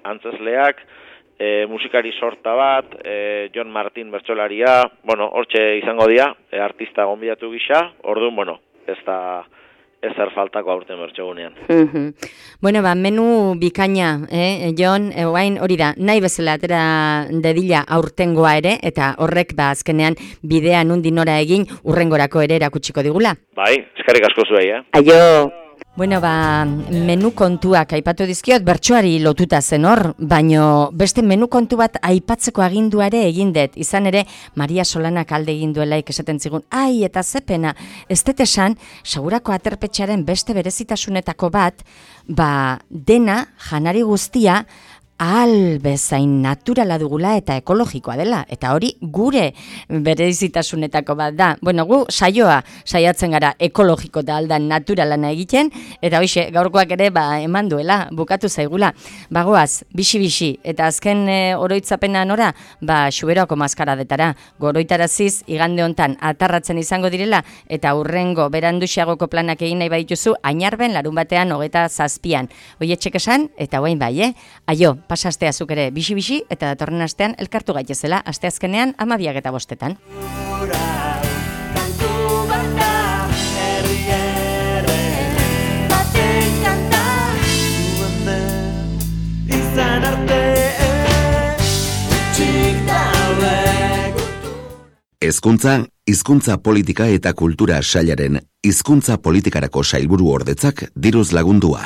antzesleak, musikari sorta bat, Jon Martin bertsolaria, hortxe izango dira, artista gonbidatu gisa, orduan, ez da ezer faltako aurten bertsogunean. Bueno, menu bikaina, Jon, oain hori da, nahi bezala atera dedila aurtengoa ere, eta horrek azkenean bidea nundi nora egin urrengorako ere erakutsiko digula. Bai, eskerrik asko zuei, Aio! Bueno, menu kontuak aipatu dizkiot, bertsoari lotuta zen hor, baino beste menu kontu bat aipatzeko aginduare egin dut. Izan ere, Maria Solanak alde egin duelaik esaten zigun, ai, eta zepena, ez dut esan, Segurako Aterpetxearen beste berezitasunetako bat, dena, janari guztia, ahal bezain naturala dugula eta ekologikoa dela. Eta hori gure berezitasunetako bat da. Bueno, gu saiatzen gara ekologiko da aldan naturalana egiten, eta hoxe, gaurkoak ere eman duela, bukatu zaigula. Bagoaz, bixi-bixi, eta azken oroitzapena nora, Xuberoako maskaradetara. Goroitaraziz, igande hontan atarratzen izango direla, eta urrengo beranduxiagoko planak egin nahi baituzu, Ainarben larunbatean 27an. Hoi etxek esan, eta guain bai, aio, pasa astea zuk ere bixi-bixi, eta datorren astean elkartu gaitezela, asteazkenean 12:05. Hezkuntza, hizkuntza politika eta kultura sailaren hizkuntza politikarako sailburu ordetzak diruz lagundua.